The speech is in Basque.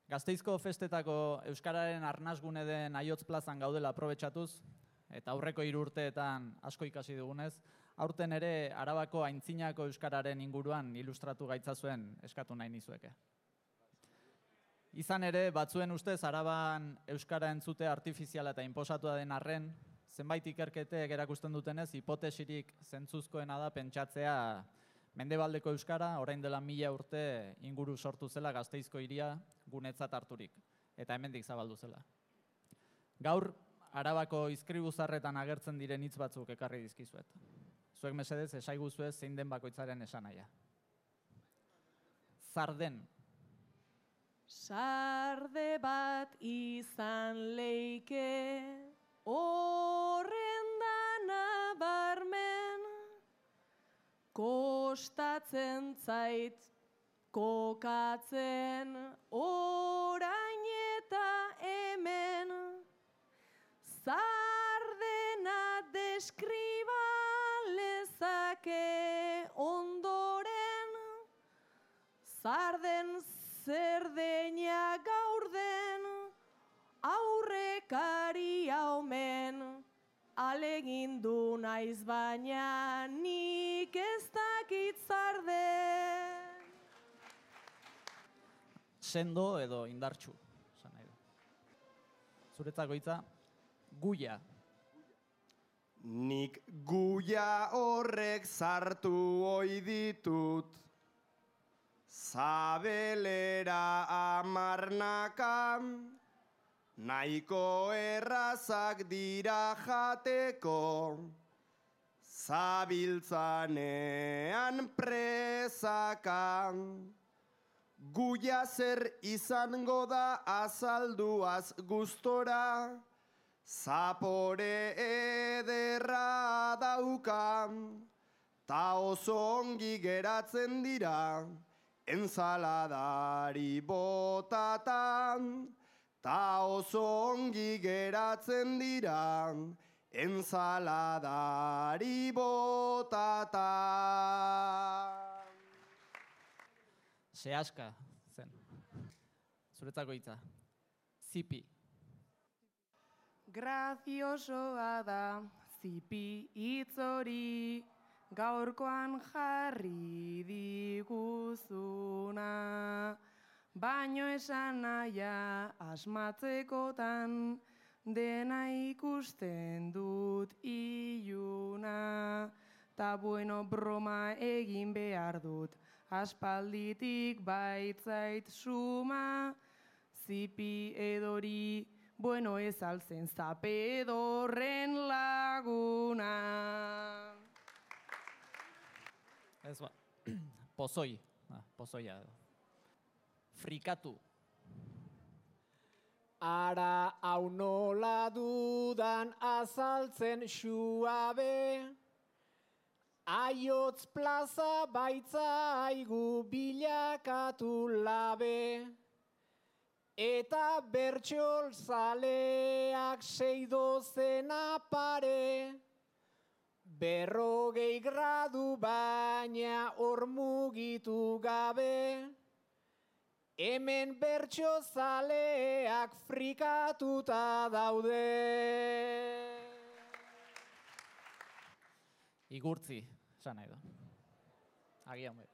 Gasteizko festetako Euskararen arnasgune den Aiotz plazan gaudela aprobetxatuz, eta aurreko 3 urteetan asko ikasi dugunez, aurten ere Arabako aintzinako Euskararen inguruan ilustratu gaitzazuen eskatu nahi nizueke. Izan ere, batzuen ustez Araban Euskara entzute artifiziala eta inposatua den arren, zenbait ikerketek erakusten dutenez, hipotesirik zentzuzkoena da pentsatzea Mendebaldeko Euskara orain dela 1000 urte inguru sortu zela Gasteizko hiria gunetzat harturik, eta hemendik zabaldu zela. Gaur, Arabako izkribuzarretan agertzen diren hitz batzuk ekarri dizkizuet. Zuek mesedez, esaiguzuez zein den bakoitzaren esanahia. Zarden. Sarde bat izan leike, horren dana barmen, kostatzen zait kokatzen, orain eta hemen, zardena deskriba lezake ondoren, zarden zerdeina gaur den, aurrekaria omen, alegindu naiz baina nik ez dakit zarden. Sendo edo indartsu, esan nahi du. Zuretzako hitza, guia. Nik guia horrek sartu ohi ditut, zabelera amarnakan, nahiko errazak dira jateko, zabiltzanean presakan. Guia zer izango da azalduaz gustora, zapore ederra daukan, ta oso ongi geratzen dira, ensaladari botatan, ta oso ongi geratzen dira, ensaladari botatan. Sehaska zen. Zuretzako hitza. Zipi. Graziosoa da zipi hitz hori, gaurkoan jarri diguzuna, baino esan nahia asmatzekotan, dena ikusten dut iluna, ta bueno broma egin behar dut, aspalditik baitzait suma, zipi edori, bueno ez altzen zape edorren laguna. Ez ba, pozoi, pozoia edo. Frikatu. Ara hau nola dudan azaltzen suabe, Aiotz plaza baitzaigu bilakatu labe, eta bertxol zaleak 6 pare, 40 gradu baina hor mugitu gabe, hemen bertxo zaleak frikatuta daude. Igurtzi, esan nahi du. Agian bai.